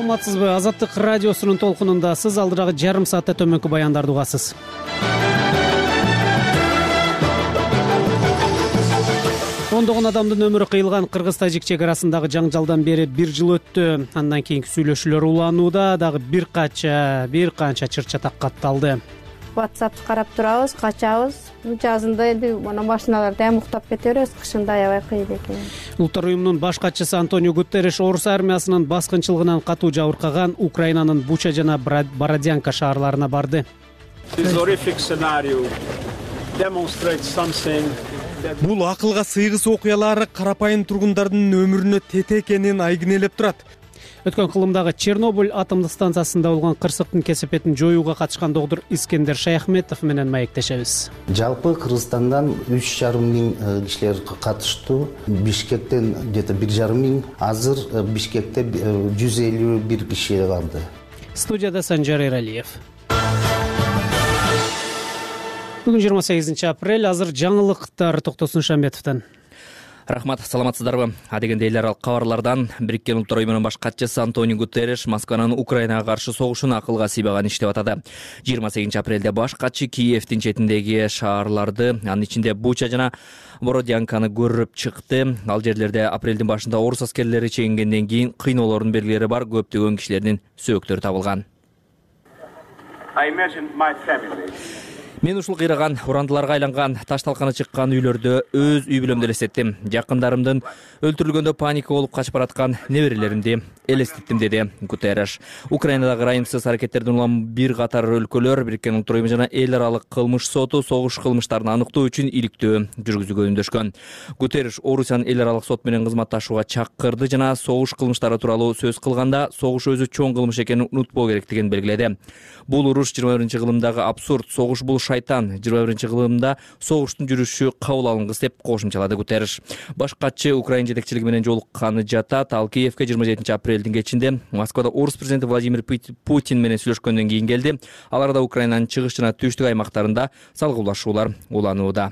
саламатсызбы? Азаттык радиосунун толкунундасыз. Алдырагы жарым саатта төмөнкү баяндарды угасыз. Ондогон адамдын өмүрү кыйылган кыргыз-тажик чек арасындагы жаңжалдан бери 1 жыл өттү. Андан кийинки сүйлөшүүлөр уланууда, дагы бир канча чыр-чатак катталды. WhatsApp карап турабыз, качабыз. Жазында эми мына машиналарда ham уктап кете беребиз, кышында аябай кыйын экен. Улуттар уюмунун баш катчысы Антонио Гутерриш орус армиясынын баскынчылыгынан катуу жабыркаган Украинанын Буча жана Бородянка шаарларына барды. Бул акылга сыйгыс окуялар карапайым тургундардын өмүрүнө тете экенин айгинелеп турат. Өткөн кылымдагы Чернобыль атомдук станциясында болгон кырсыктын кесепетин жоюуга катышкан доктор Искендер Шаяхметов менен маектешебиз. Жалпы Кыргызстандан 3,5 миң кишилер катыштуу. Бишкектен где-то 1,5 миң. Азыр Бишкекте 151 киши калды. Студияда Санжар Эралиев. Бүгүн 28 апрель. Азыр жаңылыктар Токтосун Шамбетовдон. Рахмат, саламатсыздарбы? Адегенде эл аралык кабарлардан Бириккен Улуттар уюмунун баш катчысы Антонио Гутерриш Москванын Украинага каршы согушун акылга сыйбаган иш деп атады. 28 апрелде баш катчы Киевдин четиндеги шаарларды, анын ичинде Буча жана Бородянканы көрүп чыкты. Ал жерлерде апрелдин башында орус аскерлери чегингенден кийин кыйноолордун белгилери бар көптөгөн кишилердин сөөктөрү табылган. Мен ушул кыйраган, урандыларга айланган, таш талканы чыккан үйлөрдө өз үй бүлөмдү элестеттим. Жакындарымдын өлтүрүлгөндө паника болуп качып бараткан неберелеримди элестеттим, деди Гутерриш. Украинадагы ырайымсыз аракеттерден улам бир катар өлкөлөр Бириккен Улуттар уюму жана эл аралык кылмыш соту согуш кылмыштарын аныктоо үчүн иликтөө жүргүзүүгө үндөшкөн. Гутерриш Орусиянын эл аралык сот менен кызматташууга чакырды жана согуш кылмыштары тууралуу сөз кылганда согуш өзү чоң кылмыш экенин унутпоо керектигин белгиледи. Бул уруш 21-кылымдагы абсурд, согуш бул шайтан, 21-кылымда согуштун жүрүшү кабыл алынгыс деп кошумчалады Гутерриш. Баш катчы Украина жетекчилиги менен жолукканы жатат. Ал Киевге 27 апрелдин кечинде Москвада орус президенти Владимир Путин менен сүйлөшкөндөн кийин келди. Аларда Украинанын чыгыш жана түштүк аймактарында салгылашуулар уланууда.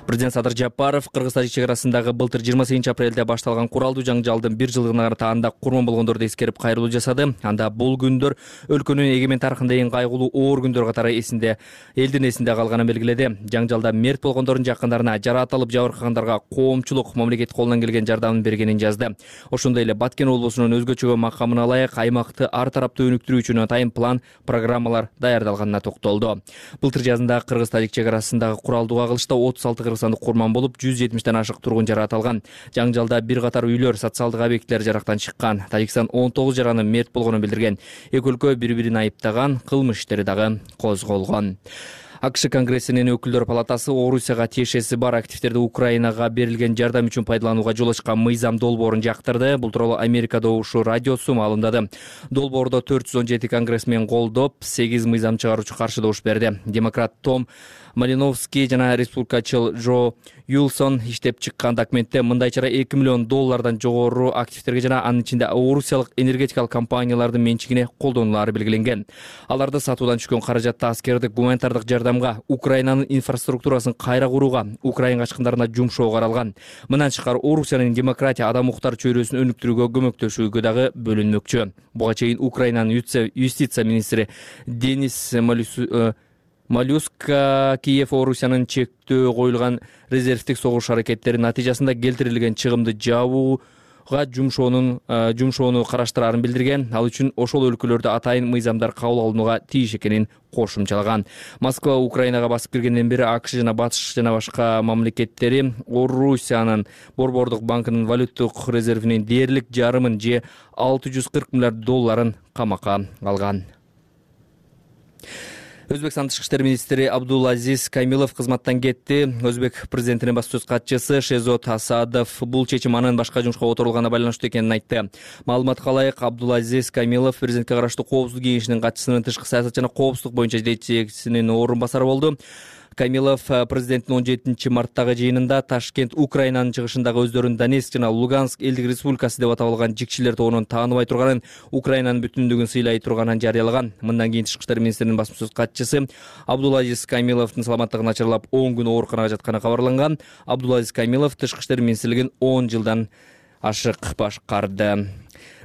Президент Садыр Жапаров Кыргыз-Тажик чек арасындагы былтыр 28 апрелде башталган куралдуу жаңжалдын 1 жылдыгына таанда курман болгондорду эскерип кайрылуу жасады. Анда бул күндөр өлкөнүн эгемен тарыхында эң кайгылуу оор күндөр катары элдин эсинде калганын белгиледи. Жаңжалда мерт болгондордун жакындарына, жараат алып жабыркагандарга коомчулук мамлекет колунан келген жардамын бергенин жазды. Ошондой эле Баткен облусунун өзгөчө макамына ылайык аймакты ар тараптуу өнүктүрүү үчүн атайын план, программалар даярдалганына токтолду. Былтыр жазында Кыргыз-Тажик чек арасындагы куралдуу кагылышта 36 кыргызстандык курман болуп, 170ден ашык тургун жараат алган. Жаңжалда бир катар үйлөр, социалдык объекттер жарактан чыккан. Тажикстан 19 жаранын мерт болгонун билдирген. Эки өлкө бири-бирин айыптаган, кылмыш иштери дагы козголгон. АКШ Конгрессинин өкүлдөр палатасы Орусияга тиешеси бар активдерди Украинага берилген жардам үчүн пайдаланууга жол ачкан мыйзам долбоорун жактырды. Бул тууралуу Америка добушу радиосу маалымдады. Долбоордо 417 конгрессмен колдоп, 8 мыйзам чыгаруучу каршы добуш берди. Демократ Том Малиновский жана республикачыл Джо Юлсон иштеп чыккан документте мындай чара $2 миллион жогору активдерге жана анын ичинде орусиялык энергетикалык компаниялардын менчигине колдонулары белгиленген. Аларды сатуудан түшкөн каражатты аскердик, гуманитардык жардамга, Украинанын инфраструктурасын кайра курууга, Украина качкындарына жумшоого каралган. Мындан тышкары Орусиянын демократия, адам укуктар чөйрөсүн өнүктүрүүгө көмөктөшүүгө дагы бөлүнмөкчү. Буга чейин Украинанын юстиция министри Денис Малюска Киев Орусиянын чектөө коюлган резервдик согуш аракеттери натыйжасында келтирилген чыгымды жабууга жумшоону караштырарын билдирген. Ал үчүн ошол өлкөлөрдө атайын мыйзамдар кабыл алынууга тийиш экенин кошумчалаган. Москва Украинага басып киргенден бери АКШ жана Батыш жана башка мамлекеттери Орусиянын Борбордук банкынын валюттук резервинин дээрлик жарымын же $640 миллиард камакка алган. Өзбекстан тышкы иштер министри Абдулазиз Камилов кызматтан кетти. Өзбек президентинин баш сөз катчысы Шезот Асадов бул чечим анын башка жумушка отурулганына байланыштуу экенин айтты. Маалыматка ылайык, Абдулазиз Камилов президентке караштуу коопсуздук кеңешинин катчысынын тышкы саясат жана коопсуздук боюнча жетекчисинин орун басары болду. Камилов президенттин 17 марттагы жыйынында Ташкент Украинанын чыгышындагы өздөрүн Донецк жана Луганск элдик республикасы деп аталган жикчилер тобунун тааныбай турганын, Украинанын бүтүндүгүн сыйлай турганын жарыялаган. Мындан кийин тышкы иштер министринин басма сөз катчысы Абдулазиз Камиловдун саламаттыгы начарлап 10 күн ооруканага жатканы кабарланган. Абдулазиз Камилов тышкы иштер министрлигин 10 жылдан ашык башкарды.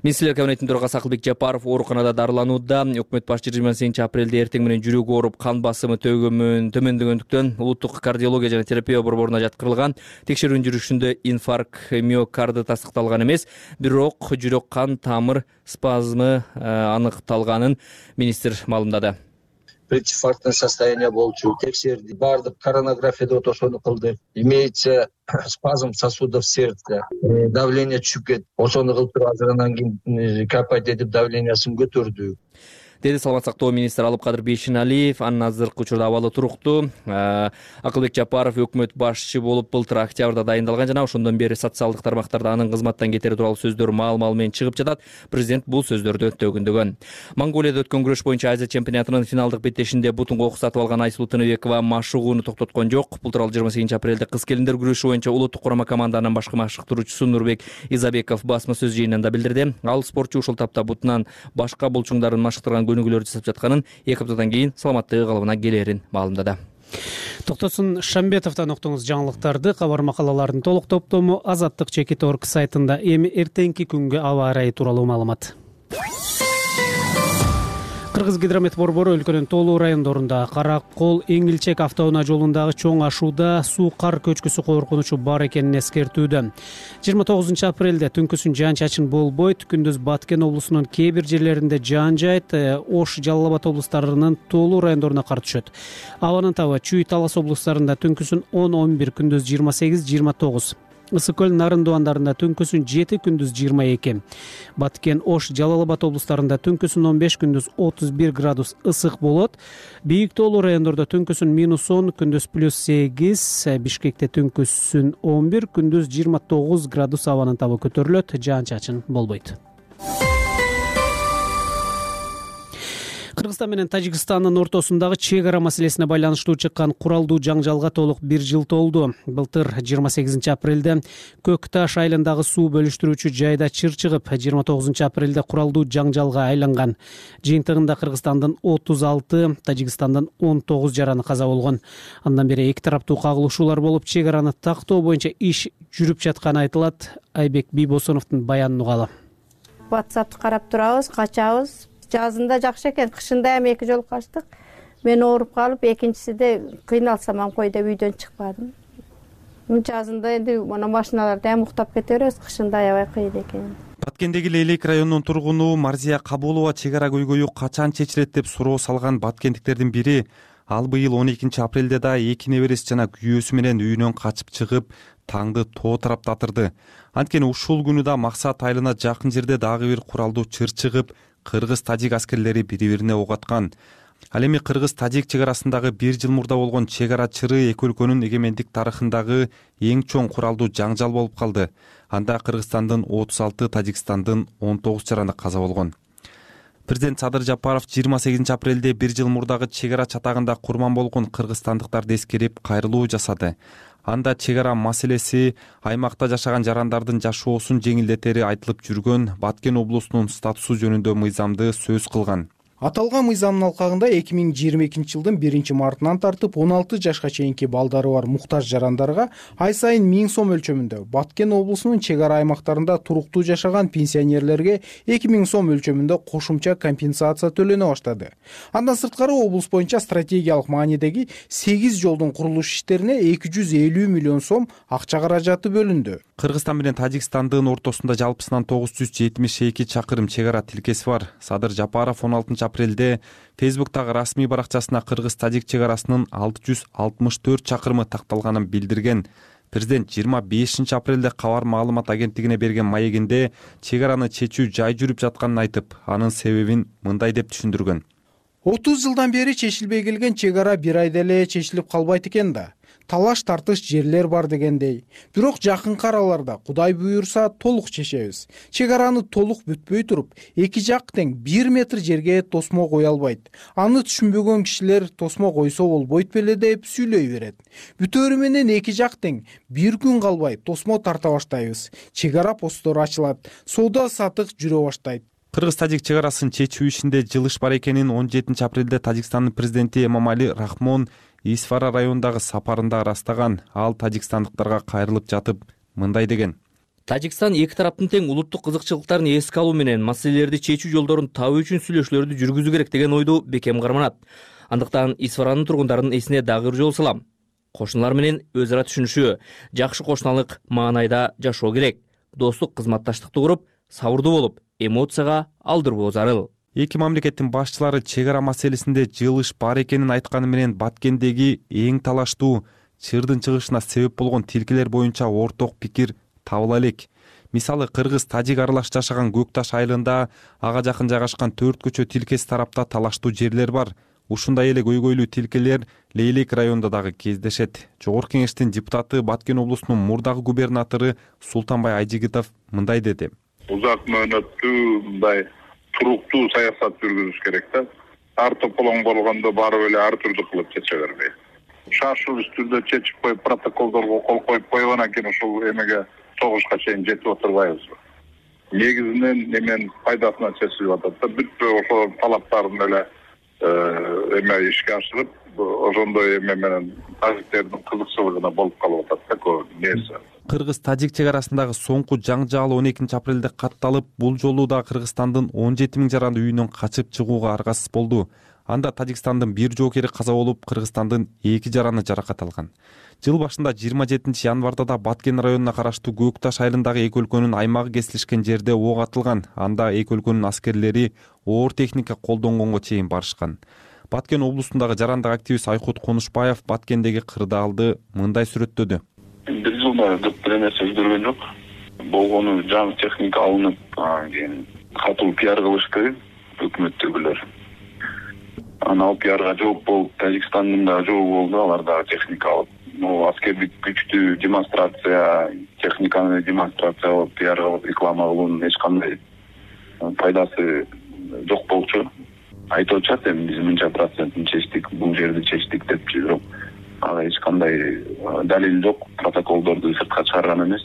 Министрлер кабинетинин төрагасы Акылбек Жапаров ооруканада дарыланууда. Өкмөт башчы 28-апрелде эртең менен жүрөгү ооруп, кан басымы төмөндөгөндүктөн улуттук кардиология жана терапия борборуна жаткырылган. Текшерүүнүн жүрүшүндө инфаркт миокарды тастыкталган эмес, бирок жүрөк кан тамыр спазмы аныкталганын министр маалымдады. Прединфарктное состояние болчу, текшерди, бардык коронографияда ошону кылдык. Имеется спазм сосудов сердца, давление түшүп кетти. Ошону кылып туруп азыр анан кийин капать этип давлениясын көтөрдүк, деди саламат сактоо министри Алыпкадыр Бейшеналиев. Анын азыркы учурда абалы туруктуу. Акылбек Жапаров өкмөт башчы болуп былтыр октябрда дайындалган жана ошондон бери социалдык тармактарда анын кызматтан кетери тууралуу сөздөр маал-мал менен чыгып жатат. Президент бул сөздөрдү төгүндөгөн. Монголияда өткөн күрөш боюнча Азия чемпионатынын финалдык беттешинде бутун кокус сатып алган Айсулуу Тыныбекова машыгууну токтоткон жок. Бул тууралуу 28-апрелде кыз келиндер күрөшү боюнча улуттук курама команданын башкы машыктыруучусу Нурбек Изабеков басма сөз жыйынында билдирди. Ал спортчу ушул тапта бутунан башка булчуңдарын машыктырган көнүгүүлөр жасап жатканын, 2 аптадан кийин саламаттыгы калыбына келерин маалымдады. Токтосун Шамбетовдон уктуңуз жаңылыктарды. Кабар макалалардын толук топтому Азаттык.org сайтында. Эми эртеңки күнгө аба ырайы тууралуу маалымат. Кыргыз гидромет борбору өлкөнүн толуу райондорунда Кара Кол Эңилчек автоунаа жолундагы чоң ашууда суу кар көчкүсү коркунучу бар экенин эскертүүдө. 29-апрелде түнкүсүн жаан-чачын болбойт. Күндүз Баткен облусунун кээ бир жерлеринде жаан жайт. Ош, Жалал Абад облустарынын толуу райондоруна кар түшөт. Абанын табы Чүй, Талас облустарында түнкүсүн 10-11, күндүз 28-29. Ысык-Көл, Нарын дубандарында түнкүсүн 7, күндүз 22. Баткен, Ош, Жалал Абад облустарында түнкүсүн 15, күндүз 31 градус ысык болот. Бийик тоолуу райондордо түнкүсүн -10, күндүз +8. Бишкекте түнкүсүн 11, күндүз 29 градус абанын табы көтөрүлөт. Жаан-чачын болбойт. Кыргызстан менен Тажикстандын ортосундагы чек ара маселесине байланыштуу чыккан куралдуу жаңжалга толук 1 жыл толду. Былтыр 28-апрелде Көк Таш айылындагы суу бөлүштүрүүчү жайда чыр чыгып, 29-апрелде куралдуу жаңжалга айланган. Жыйынтыгында Кыргызстандын 36, Тажикстандын 19 жараны каза болгон. Андан бери эки тараптуу кагылышуулар болуп, чек араны тактоо боюнча иш жүрүп жатканы айтылат. Айбек Бийбосоновдун баянын угалы. WhatsApp'ты карап турабыз, качабыз. Жазында жакшы экен, кышында эми 2 жолу качтык. Мен ооруп калып, экинчисиде кыйналсам ам койдо үйдөн чыкпадым. Жазында энди мына машиналарда уктап кете беребиз, кышында аябай кыйын экен. Баткендеги Лейлек районунун тургуну Марзия Кабулова чек ара көйгөйү качан чечилет деп суроо салган баткендиктердин бири. Ал быйыл 12-апрелде да 2 небереси жана күйөөсү менен үйүнөн качып чыгып, таңды тоо тараптатырды. Анткени ушул күнү да Максат айылына жакын жерде дагы бир куралдуу чыр чыгып, кыргыз-тажик аскерлери бири-бирине ок аткан. Ал эми кыргыз-тажик чек арасындагы 1 жыл мурда болгон чек ара чыры эки өлкөнүн эгемендик тарыхындагы эң чоң куралдуу жаңжал болуп калды. Анда Кыргызстандын 36, Тажикстандын 19 жараны каза болгон. Президент Садыр Жапаров 28-апрелде 1 жыл мурдагы чек ара чатагында курман болгон кыргызстандыктарды эскерип кайрылуу жасады. Анда чек ара маселеси аймакта жашаган жарандардын жашоосун жеңилдетери айтылып жүргөн Баткен облусунун статусу жөнүндө мыйзамды сөз кылган. Аталган мыйзамдын алкагында 2022 жылдын 1 мартынан тартып 16 жашка чейинки балдары бар муктаж жарандарга ай сайын 1000 сом өлчөмүндө, Баткен облусунун чек ара аймактарында туруктуу жашаган пенсионерлерге 2000 сом өлчөмүндө кошумча компенсация төлөнө баштады. Андан сырткары облус боюнча стратегиялык маанидеги 8 жолдун курулуш иштерине 250 миллион сом акча каражаты бөлүндү. Кыргызстан менен Тажикстандын ортосунда жалпысынан 972 чакырым чек ара тилкеси бар. Садыр Жапаров 16-апрелде Фейсбуктагы расмий баракчасына кыргыз-тажик чек арасынын 664 чакырымы такталганын билдирген. Президент 25-апрелде Кабар маалымат агенттигине берген маегинде чек араны чечүү жай жүрүп жатканын айтып, анын себебин мындай деп түшүндүргөн. 30 жылдан бери чечилбей келген чек ара бир айда эле чечилип калбайт экен да. Талаш тартыш жерлер бар дегендей. Бирок жакынкы араларда Кудай буйрса толук чечебиз. Чек араны толук бүтпөй туруп, эки жак тең 1 метр жерге тосмо кое албайт. Аны түшүнбөгөн кишилер тосмо койсо болбойт беле деп сүйлөй берет. Бүтөөрү менен эки жак тең 1 күн калбай тосмо тарта баштайбыз. Чек ара посттору ачылат, соода сатык жүрө баштайт. Кыргыз-тажик чек арасын чечүү ишинде жылыш бар экенин 17-апрелде Тажикстандын президенти Эмомали Рахмон Исфара районундагы сапарында ырастаган. Ал тажикстандыктарга кайрылып жатып мындай деген. Тажикстан эки тараптын тең улуттук кызыкчылыктарын эске алуу менен маселелерди чечүү жолдорун табуу үчүн сүйлөшүүлөрдү жүргүзүү керек деген ойду бекем карманат. Андыктан Исфаранын тургундарынын эсине дагы бир жолу салам. Кошуналар менен өз ара түшүнүшүү, жакшы кошуналык маанайда жашоо керек. Достук, кызматташтыкты куруп, сабырдуу болуп, эмоцияга алдырбоо зарыл. Эки мамлекеттин башчылары чек ара маселесинде жылыш бар экенин айтканы менен Баткендеги эң талаштуу чырдын чыгышына себеп болгон тилкелер боюнча орток пикир табыла элек. Мисалы, кыргыз-тажик аралаш жашаган Көк Таш айылында ага жакын жайгашкан 4 көчө тилкеси тарапта талаштуу жерлер бар. Ушундай эле көйгөйлүү тилкелер Лейлек районунда дагы кездешет. Жогорку кеңештин депутаты, Баткен облусунун мурдагы губернатору Султанбай Айжигитов мындай деди. Узак мөөнөттүү мындай туруктуу саясат жүргүзүш керек да. Ар тополоң болгондо барып эле ар түрдүү кылып чече бербей. Шашылыш түрдө чечип коюп, протоколдорго кол коюп койгондон кийин ушул эмеге согушка чейин жетип отурбайбызбы? Негизинен эмен пайдасына чечилип атат да. Бүтпөй ошол талаптарын эле эме ишке ашырып, ошондой эме менен тажиктердин кызыкчылыгына болуп калып атат да көп нерсе. Кыргыз-тажик чек арасындагы соңку жаңжал 12-апрелде катталып, бул жолу да Кыргызстандын 17 000 жаранды үйүнөн качып чыгууга аргасыз болду. Анда Тажикстандын бир жоокери каза болуп, Кыргызстандын 2 жараны жаракат алган. Жыл башында 27 январда да Баткен районуна караштуу Көк Таш айылындагы эки өлкөнүн аймагы кесилишкен жерде ок атылган. Анда эки өлкөнүн аскерлери оор техника колдонгонго чейин барышкан. Баткен облусундагы жарандык активист Айкут Конушбаев Баткендеги кырдаалды мындай сүрөттөдү. Бир жылда көп бир нерсе өзгөргөн жок. Болгону жаңы техника алынып, кийин катуу пиар кылышты өкмөттөгүлөр. Анан ал пиарга жооп болуп, Тажикстандын да жообу болду, алар да техника алып. Аскердик күчтү демонстрация, техниканы демонстрация кылып, пиар кылып, реклама кылуунун эч кандай пайдасы жок болчу. Айтып атышат, эми биз мынча процентин чечтик, бул жерди чечтик деп, бирок ага эч кандай далил жок, протоколдорду сыртка чыгарган эмес.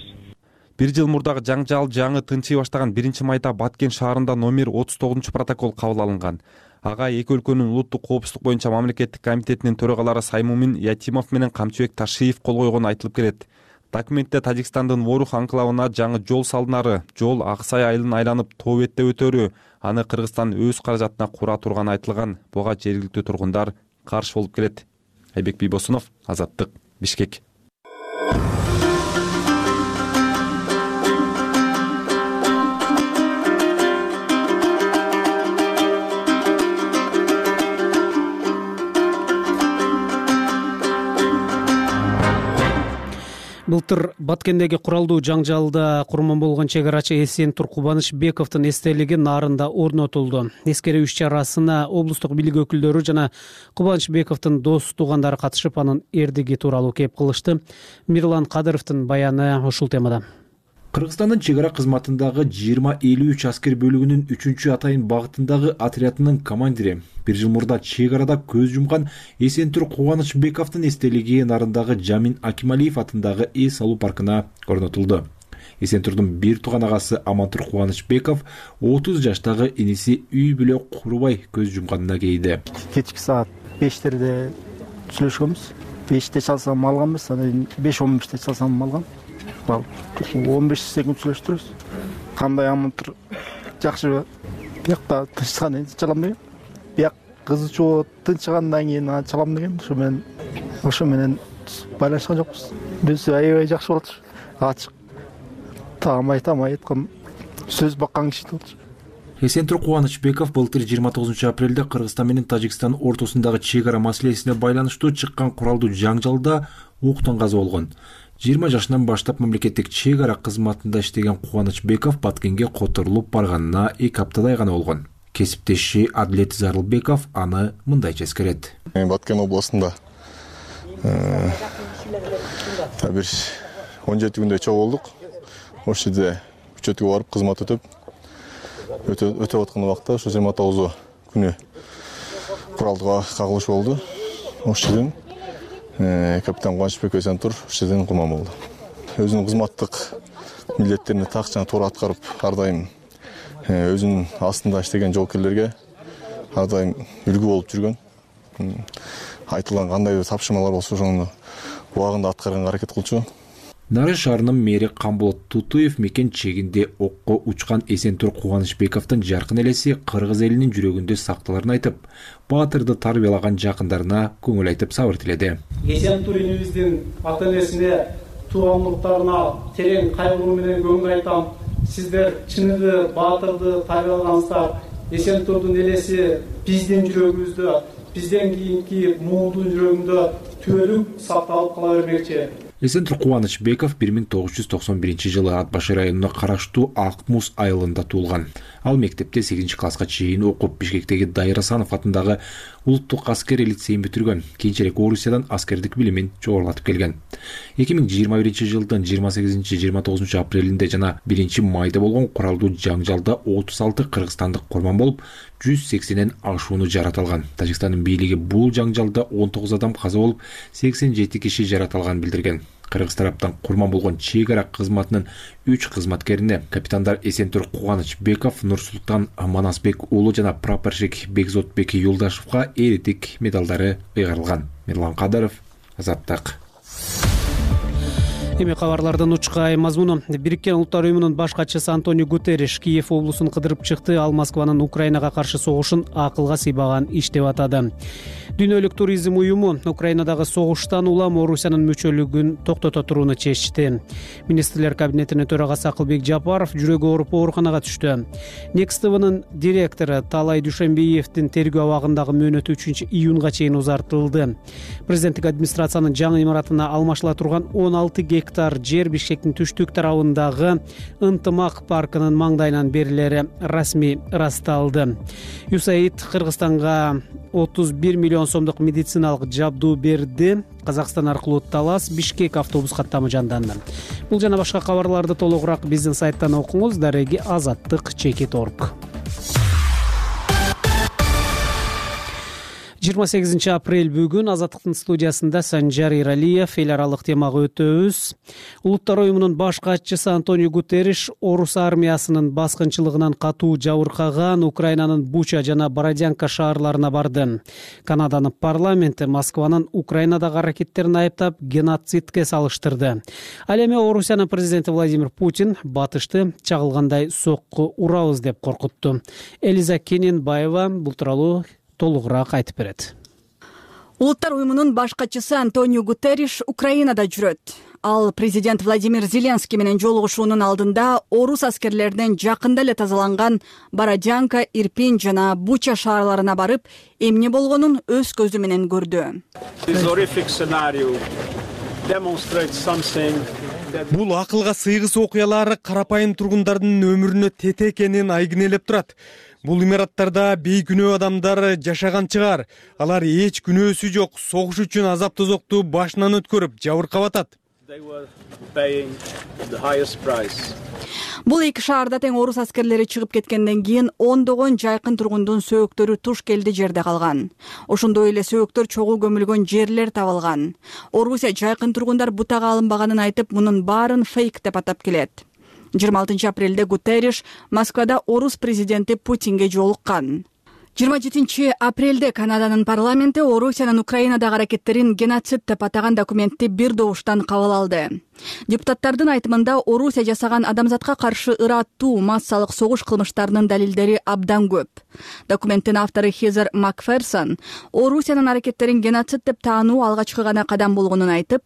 Бир жыл мурдагы жаңжал жаңы тынчый баштаган 1-майда Баткен шаарында номер 39 протокол кабыл алынган. Ага эки өлкөнүн улуттук коопсуздук боюнча мамлекеттик комитетинин төрагалары Саймумин Ятимов менен Камчыбек Ташиев кол койгону айтылып келет. Документте Тажикстандын Ворух анклавына жаңы жол салынары, жол Аксай айылын айланып тоо бетте өтөрү, аны Кыргызстан өз каражатына кура турганы айтылган. Буга жергиликтүү тургундар каршы болуп келет. Айбек Бийбосунов, Азаттык, Бишкек. Былтыр Баткендеги куралдуу жаңжалда курман болгон чек арачы Эсентур Кубанычбековдун эстелиги нарында орнотулду. Эскерүү иш-чарасына облустук бийлик өкүлдөрү жана Кубанычбековдун дос туугандары катышып, анын эрдиги тууралуу кеп кылышты. Мирлан Кадыровдун баяны ушул темада. Кыргызстандын чек ара кызматындагы 2053 аскер бөлүгүнүн 3-атайын багытындагы отрядынын командири бир жыл мурда чек арада көз жумган Эсентур Кубанычбековдун эстелиги нарындагы Жамин Акималиев атындагы эс алуу паркына орнотулду. Эсентурдун бир тууган агасы Амантур Кубанычбеков 30 жаштагы иниси үй бүлө курбай көз жумганына кейди. Кечки саат 5-терде сүйлөшкөнбүз. 5-те чалсам алганбыз, анан 5:15-те чалсам алган. 15 секунд сүйлөштүрүбүз. Кандай Амантур жакшыбы? Биякта тынчкан эди чалам деген. Бияк кызычуу тынчыгандан кийин чалам деген. Ошо менен байланышкан жокпуз. Биз аябай жакшы болчу. Ачык. Таамай айткан сөз баккан киши болчу. Эсентур Кубанычбеков былтыр 29 апрелде Кыргызстан менен Тажикстан ортосундагы чек ара маселесине байланыштуу чыккан куралдуу жаңжалда октон каза болгон. 20 жашынан баштап мамлекеттик чек ара кызматында иштеген Кубанычбеков Баткенге которулуп барганына 2 аптадай гана болгон. Кесиптеши Адлет Зарылбеков аны мындайча эскерет. Баткен областында бир 17 күндөй чогуу болдук. Ошол жерде учеткага барып кызмат өтөп аткан убакта ошо 29 күнү куралдуу кагылыш болду. Ошол жерден капитан Кубанычбеков Эсентур ошол жерден курман болду. Өзүнүн кызматтык милдеттерин так жана туура аткарып, ар дайым өзүнүн астында иштеген жоокерлерге ар дайым үлгү болуп жүргөн. Айтылган кандай тапшырмалар болсо ошону убагында аткарганга аракет кылчу. Нары шаарынын мэри Камболот Тутуев мекен чегинде окко учкан Эсентур Кубанычбековдун жаркын элеси кыргыз элинин жүрөгүндө сакталарын айтып, баатырды тарбиялаган жакындарына көңүл айтып сабыр тиледи. Эсентур инибиздин ата энесине, туугандыктарына терең кайгыруу менен көңүл айтам. Сиздер чыныгы баатырды тарбиялагансыздар. Эсентурдун элеси биздин жүрөгүбүздө, бизден кийинки муулдун жүрөгүндө түбөлүк сакталып кала бермекчи. Эсентур Кубанычбеков 1991 жылы Ат Башы районуна караштуу Акмуз айылында туулган. Ал мектепте 8 класска чейин окуп, Бишкектеги Дайыр Асанов атындагы улуттук аскери лицейин бүтүргөн. Кийинчерээк Орусиядан аскердик билимин жогорулатып келген. 2021 жылдын 28-29 апрелинде жана 1 майда болгон куралдуу жаңжалда 36 кыргызстандык курман болуп, 180ден ашууну жарат алган. Тажикстандын бийлиги бул жаңжалда 19 адам каза болуп, 87 киши жарат алганын билдирген. Кыргыз тараптан курман болгон чек ара кызматынын 3 кызматкерине капитандар Эсентур Кубанычбеков, Нурсултан Манасбек уулу жана прапорщик Бекзотбек Юлдашевга эриттик медалдары ыйгарылган. Мирлан Кадыров, Азаттык. Эми кабарлардын учкай мазмуну. Бириккен Улуттар уюмунун баш катчысы Антонио Гутерриш Киев облусун кыдырып чыкты. Ал Москванын Украинага каршы согушун акылга сыйбаган иш деп атады. Дүйнөлүк туризм уюму Украинадагы согуштан улам Орусиянын мүчөлүгүн токтото турууну чечти. Министрлер кабинетинин төрагасы Акылбек Жапаров жүрөгү ооруп ооруканага түштү. Next TV'нын директору Талай Дүйшөнбиевдин тергөө абагындагы мөөнөтү 3 июнга чейин узартылды. Президенттик администрациянын жаңы имаратына алмашыла турган 16 гектар жер Бишкектин түштүк тарабындагы Ынтымак паркынын маңдайынан берилери расмий ырасталды. USAID Кыргызстанга 31 миллион сомдук медициналык жабдуу берди. Казакстан аркылуу Талас Бишкек автобус каттамы жанданды. Бул жана башка кабарларды толугураак биздин сайттан окуңуз. Дареги Азаттык /org. 28 апрель бүгүн Азаттыктын студиясында Санжар Иралиев эл аралык темага өтөбүз. Улуттар уюмунун баш катчысы Антонио Гутерриш Орус армиясынын баскынчылыгынан катуу жабыркаган Украинанын Буча жана Бородянка шаарларына барды. Канаданын парламенти Москванын Украинадагы аракеттерин айыптап, геноцидке салыштырды. Ал эми Орусиянын президенти Владимир Путин батышты чагылгандай сокку урабыз деп коркутту. Элиза Кененбаева бул тууралуу толугураак айтып берет. Улуттар уюмунун баш катчысы Антонио Гутерриш Украинада жүрөт. Ал президент Владимир Зеленский менен жолугушуунун алдында орус аскерлеринен жакында эле тазаланган Бородянка, Ирпень жана Буча шаарларына барып, эмне болгонун өз көзү менен көрдү. Бул акылга сыйгыс окуялар карапайым тургундардын өмүрүнө тете экенин айгинелеп турат. Бул имараттарда бейкүнөө адамдар жашаган чыгар. Алар эч күнөөсү жок, согуш үчүн азап тозокту башынан өткөрүп, жабыркап атат. Бул эки шаарда тең орус аскерлери чыгып кеткенден кийин ондогон жайкын тургундун сөөктөрү туш келди жерде калган. Ошондой эле сөөктөр чогуу көмүлгөн жерлер табылган. Орусия жайкын тургундар бутага алынбаганын айтып, мунун баарын фейк деп атап келет. 26 апрелде Гутерриш Москвада орус президенти Путинге жолуккан. 27 апрелде Канаданын парламенти Орусиянын Украинадагы аракеттерин геноцид деп атаган документти бир добуштан кабыл алды. Депутаттардын айтымында Орусия жасаган адамзатка каршы ыраттуу массалык согуш кылмыштарынын далилдери абдан көп. Документтин автору Хезер Макферсон Орусиянын аракеттерин геноцид деп таануу алгачкы гана кадам болгонун айтып,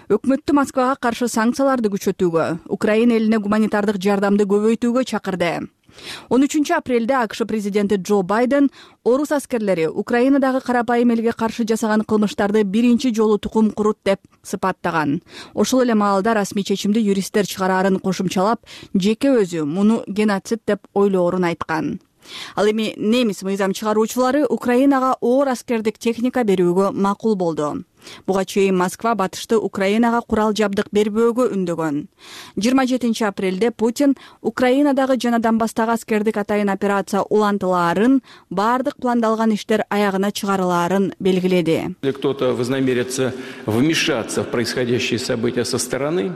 өкмөттү Москвага каршы санкцияларды күчөтүүгө, Украина элине гуманитардык жардамды көбөйтүүгө чакырды. 13 апрелде АКШ президенти Джо Байден орус аскерлери Украинадагы карапайым элге каршы жасаган кылмыштарды биринчи жолу тукум курут деп сыпаттаган. Ошол эле маалда расмий чечимди юристтер чыгараарын кошумчалап, жеке өзү муну геноцид деп ойлоорун айткан. Ал эми немис мыйзам чыгаруучулары Украинага оор аскердик техника берүүгө макул болду. Буга чейин Москва батышты Украинага курал жабдык бербөөгө үндөгөн. 27 апрелде Путин Украинадагы жана Донбасстагы аскердик атайын операция улантылаарын, бардык пландалган иштер аягына чыгарылаарын белгиледи. Кто-то вознамерится вмешаться в происходящие события со стороны.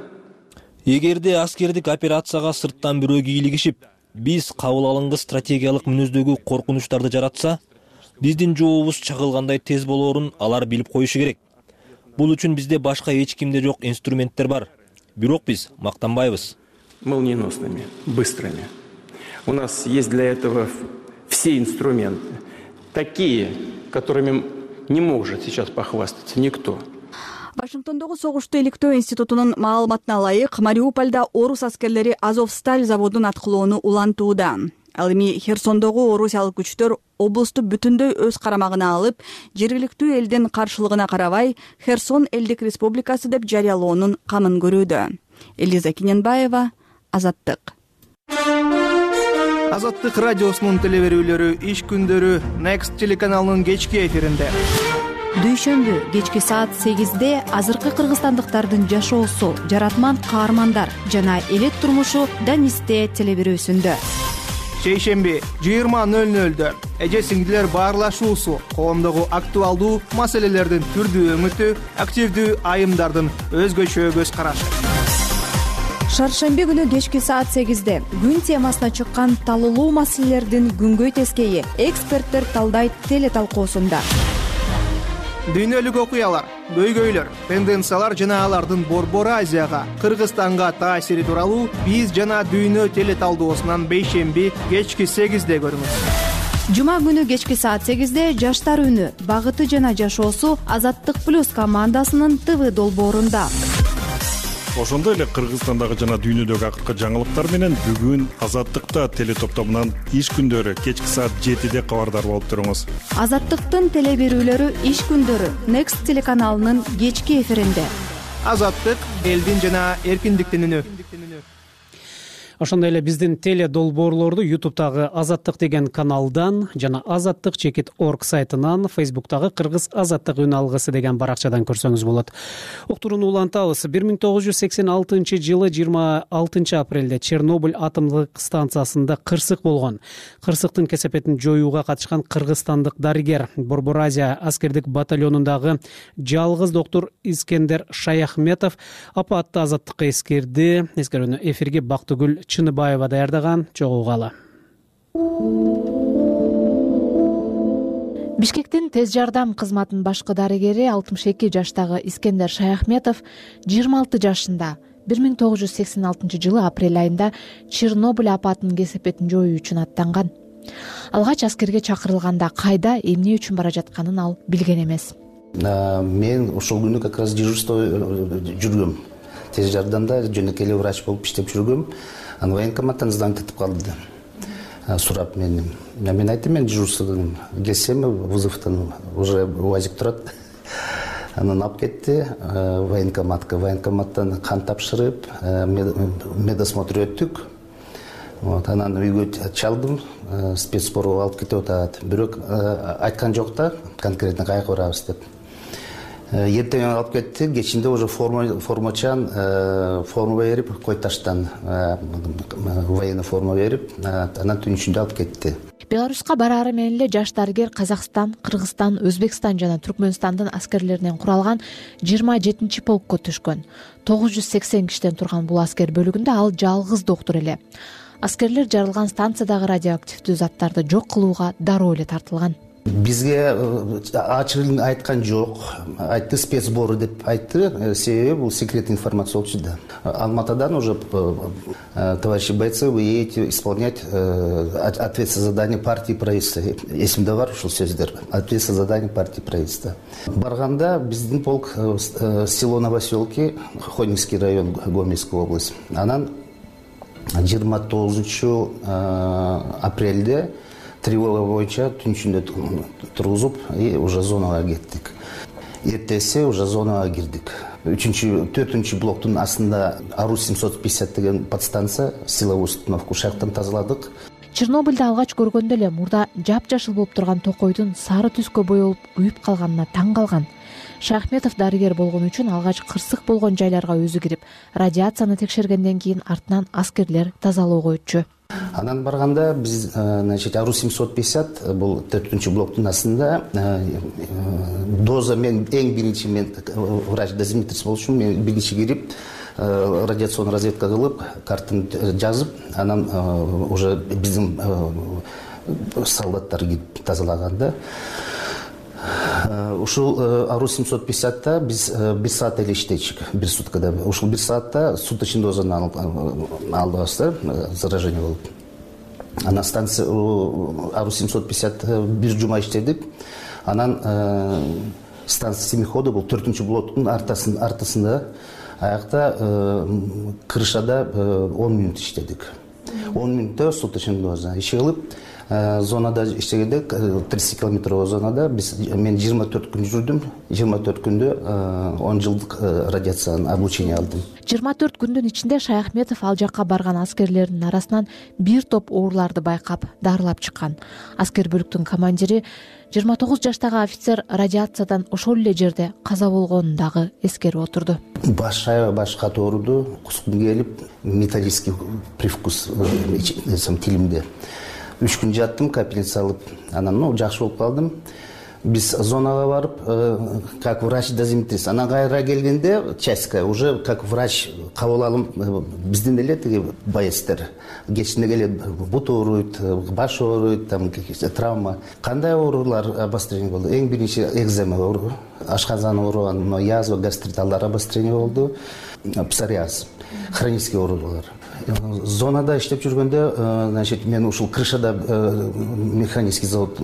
Эгерде аскердик операцияга сырттан бирөө кийлигишип, биз кабыл алынган стратегиялык мүнөздөгү коркунучтарды жаратса, биздин жообубуз чагылгандай тез болоорун алар билип коюшу керек. Бул үчүн бизде башка эч кимде жок инструменттер бар. бирок биз мактанбайбыз. Молниеносными, быстрыми. У нас есть для этого все инструменты. Такие, которыми не может сейчас похвастаться никто. Вашингтондогу согушту иликтөө институтунун маалыматына ылайык, Мариупольдо орус аскерлери Азовсталь заводун аткылоону улантууда. Ал эми Херсондогу орусиялык күчтөр облусту бүтүндөй өз карамагына алып, жергиликтүү элдин каршылыгына карабай, Херсон элдик республикасы деп жарыялоонун камын көрүүдө. Элиза Киненбаева, Азаттык. Азаттык радиосунун телеберүүлөрү иш күндөрү Next телеканалынын кечки эфиринде. Дүйшөмбү кечки саат 8-де азыркы кыргызстандыктардын жашоосу, жаратман каармандар жана элет турмушу Данисте телеберүүсүндө. Шейшемби 20:00-дө эже сиңдилер баарлашуусу, коомдогу актуалдуу маселелердин түрдүү өңүтү, активдүү айымдардын өзгөчө көз карашы. Шаршемби күнү кечки саат 8-де күн темасына чыккан талуулуу маселелердин күнгөй тескейи эксперттер талдайт телеталкуусунда. Дүйнөлүк окуялар, көйгөйлөр, тенденциялар жана алардын Борбор Азияга, Кыргызстанга таасири тууралуу биз жана дүйнө телеталдоосунан бейшемби кечки 8-де көрүңүз. Жума күнү кечки саат 8-де жаштар үнү, багыты жана жашоосу Азаттык плюс командасынын ТВ долбоорунда. Ошондой эле Кыргызстандагы жана дүйнөдөгү акыркы жаңылыктар менен бүгүн Азаттыкта телетоптомунан иш күндөрү кечки саат 7-де кабардар болуп туруңуз. Азаттыктын телеберүүлөрү иш күндөрү Next телеканалынын кечки эфиринде. Азаттык элдин жана эркиндиктин үнү. Ошондой эле биздин теле долбоорлорду YouTube'тагы Азаттык деген каналдан жана azattik.org сайтынан, Facebook'тагы Кыргыз Азаттык үн алгысы деген баракчадан көрсөңүз болот. Уктурууну улантабыз. 1986 жылы 26 апрелде Чернобыль атомдук станциясында кырсык болгон. Кырсыктын кесепетин жоюуга катышкан кыргызстандык дарыгер, Борбор Азия аскердик батальонундагы жалгыз доктор Искендер Шаяхметов апатты Азаттыкка эскерди. Эскерүүнү эфирге Бактыгүл Чыныбаева даярдаган, чогулгалы. Бишкектин тез жардам кызматынын башкы дарыгери 62 жаштагы Искендер Шаяхметов 26 жашында 1986 жылы апрель айында Чернобыль апатынын кесепетин жоюу үчүн аттанган. Алгач аскерге чакырылганда кайда, эмне үчүн бара жатканын ал билген эмес. Мен ошол күнү как раз дежурство жүргөм. Тез жардамда жөнөкөй эле врач болуп иштеп жүргөм. Анан военкоматтан звонок этип калды. Сурап мени. Мен айттым, мен дежурстводон келсем, вызовтан уже УАЗик турат. Анан алып кетти военкоматка. Военкоматтан кан тапшырып, медосмотр өттүк. Анан үйгө чалдым, спецспорго алып кетип атат. Бирок айткан жок да, конкретно кайга барабыз деп. Эртең алып кетти, кечинде уже формачан форма берип, Койташтан военный форма берип, анан түнүшүндө алып кетти. Беларуска бараары менен эле жаш дарыгер Казакстан, Кыргызстан, Өзбекстан жана Түркмөнстандын аскерлеринен куралган 27-чи полкко түшкөн. 980 кишиден турган бул аскер бөлүгүндө ал жалгыз доктор эле. Аскерлер жарылган станциядагы радиоактивдүү заттарды жок кылууга дароо эле тартылган. Бизге ачыгын айткан жок. Айтты спецсбору деп айтты. Себеби бул секретный информация болчу да. Алматадан уже товарищи бойцы, вы едете исполнять ответственное задание партии правительства. Эсимде бар ушул сөздөр. Ответственное задание партии правительства. Барганда биздин полк село Новоселки, Хонинский район, Гомельская область. Анан 29 апрелде тревога боюнча түнүшүндө тургузуп, уже зонага кеттик. Эртеси уже зонага кирдик. 4-чү блоктун астында Арус 750 деген подстанция, силовой установка, ушактан тазаладык. Чернобыльды алгач көргөндө эле мурда жапжашыл болуп турган токойдун сары түскө боелуп күйүп калганына таң калган. Шаяхметов дарыгер болгон үчүн алгач кырсык болгон жайларга өзү кирип, радиацияны текшергенден кийин артынан аскерлер тазалоого өтчү. Анан барганда биз, Арус 750 бул 4-чү блоктун астында доза, мен эң биринчи, мен врач-дозиметрist болчумун, мен биринчи кирип, радиационный разведка кылып, картаны жазып, анан уже биздин солдаттар кирип тазалаганда Ушул Ару 750-та биз 1 саат эле иштейчүк, 1 суткада. Ушул 1 саатта суточный дозаны алдыбыз да, заражение болуп. Анан станция Ару 750 1 жума иштедик. Анан станция семихода бул 4-чү блоктун артасында, аякта крышада 10 мүнөт иштедик. 10 мүнөттө суточный доза иши кылып, зонада иштегенде 30 километровый зонада мен 24 күн жүрдүм. 24 күндө 10 жылдык радиациянын облучение алдым. 24 күндүн ичинде Шаяхметов ал жакка барган аскерлердин арасынан бир топ ооруларды байкап, дарылап чыккан. Аскер бөлүктүн командири 29 жаштагы офицер радиациядан ошол эле жерде каза болгонун дагы эскерип отурду. Баш катуу ооруду, кускум келип, металлический привкус тилимде. 3 күн жаттым, капельница алып, анан жакшы болуп калдым. Биз зонага барып, как врач-дозиметрист, анан кайра келгенде частька уже как врач кабыл алым биздин эле тиги боецтер. Кечинде келет, бут ооруйт, баш ооруйт, травма. Кандай оорулар обострение болду? Эң биринчи экзема оору, ашказан ооруган, язва, гастрит алар обострение болду. Псориаз, хронический оорулар. Зонада иштеп жүргөндө, значит, мен ушул крышада, механический завод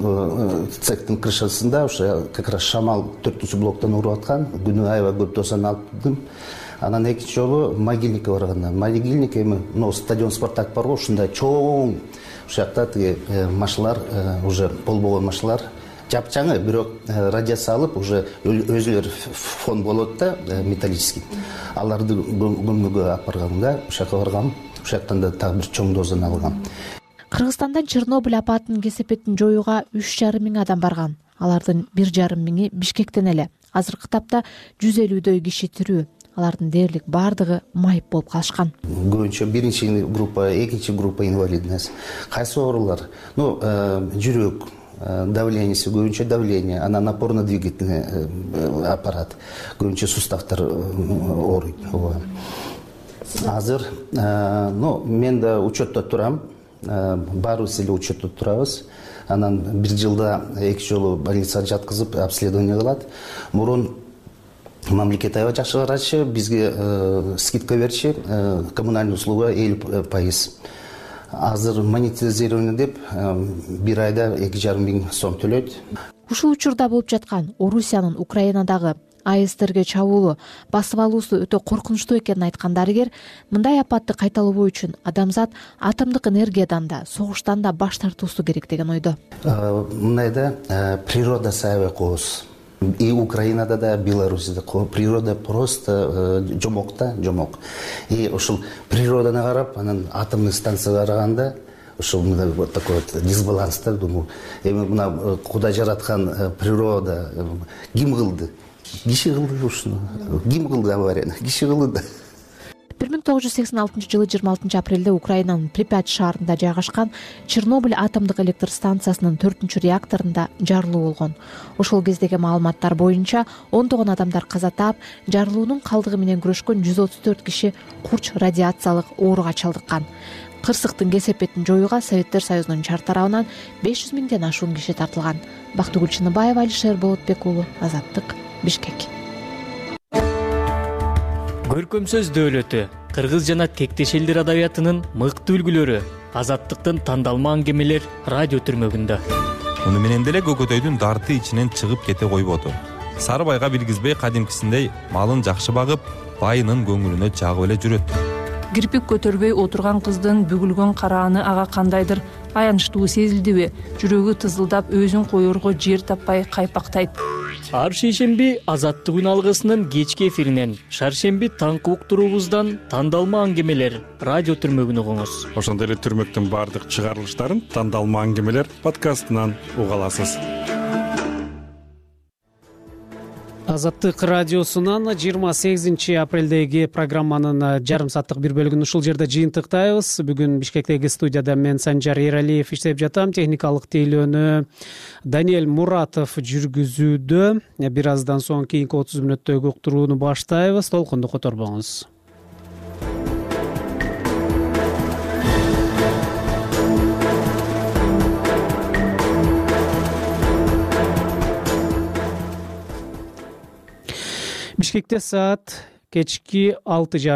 цехтин крышасында, ошо как раз шамал 4-чү блоктон уруп аткан, күнү аябай көп дозаны алдым. Анан экинчи жолу могильникке барганда, могильник эми стадион Спартак барго, ушундай чоң, ушул жакта тиги машиналар, уже болбогон машиналар, жапчаңы, бирок радиация алып, уже өзүлөр фон болот да, металлический. Аларды көмгөгө алып барганда, ушул жака баргам, ушул жактан да так бир чоң дозаны алгам. Кыргызстандан Чернобыль апатынын кесепетин жоюуга 3,5 миң адам барган. Алардын 1,5 миңи Бишкектен эле. Азыркы тапта 150дөй киши тирүү. Алардын дээрлик бардыгы майып болуп калышкан. Көбүнчө биринчи группа, экинчи группа инвалидность. Кайсы оорулар? Жүрөк, давлениеси, көбүнчө давление, анан опорно-двигательный аппарат, көбүнчө суставтар ооруйт. Азыр, мен да учетто турам, баарыбыз эле учетто турабыз. Анан 1 жылда 2 жолу больницага жаткызып, обследование кылат. Мурун мамлекет аябай жакшы карачы, бизге скидка берчи, коммунальный услуга 50%. Азыр монетизирование деп 1 айда 2,5 миң сом төлөйт. Ушул учурда болуп жаткан Орусиянын Украинадагы АЭСтерге чабуулу, басып алуусу өтө коркунучтуу экенин айткан дарыгер, мындай апатты кайталабоо үчүн адамзат атомдук энергиядан да, согуштан да баш тартуусу керек деген ойдо. Мындайда природа аябай кооз. И Украинада да, Беларусьда природа просто жомок. И ушул природаны карап, анан атомный станцияга караганда, ушул вот такой вот дисбаланс да, думаю. Эми мына Кудай жараткан природа ким кылды? Киши кылды ушуну. Ким кылды аварияны? Киши кылды. 1986 жылы 26 апрелде Украинанын Припять шаарында жайгашкан Чернобыль атомдук электр станциясынын 4-чү реакторунда жарылуу болгон. Ошол кездеги маалыматтар боюнча 10 адамдар каза таап, жарылуунун калдыгы менен күрөшкөн 134 киши курч радиациялык ооруга чалдыккан. Кырсыктын кесепетин жоюуга Советтер Союзунун чар тарабынан 500 миңден ашуун киши тартылган. Бактыгүл Чыныбаева, Алишер Болотбек уулу, Азаттык, Бишкек. Көркөм сөз дөөлөтү, кыргыз жана тектеш элдер адабиятынын мыкты үлгүлөрү, Азаттыктын тандалма аңгемелер радио түрмөгүндө. Муну менен деле көкөтөйдүн дарты ичинен чыгып кете койбоду. Сары байга билгизбей кадимкисиндей малын жакшы багып, байынын көңүлүнө жагып эле жүрөт. Кирпик көтөрбөй отурган кыздын бүгүлгөн карааны ага кандайдыр аянычтуу сезилдиби? Жүрөгү тызылдап, өзүн коерго жер таппай кайпактайт. Ар шейшемби Азаттык үн алгысынын кечки эфиринен, шаршемби таңкы уктуруубуздан тандалма аңгемелер радио түрмөгүн угуңуз. Ошондой эле түрмөктүн баардык чыгарылыштарын тандалма аңгемелер подкастынан уга аласыз. Азаттык радиосунан 28 апрелдеги программанын жарым сааттык бир бөлүгүн ушул жерде жыйынтыктайбыз. Бүгүн Бишкектеги студияда мен Санжар Эралиев иштеп жатам. Техникалык тейлөөнү Даниэль Муратов жүргүзүүдө. Бир аздан соң кийинки 30 мүнөттөгү уктурууну баштайбыз. Толкунду которбоңуз. Бишкекте саат кечки 6:30.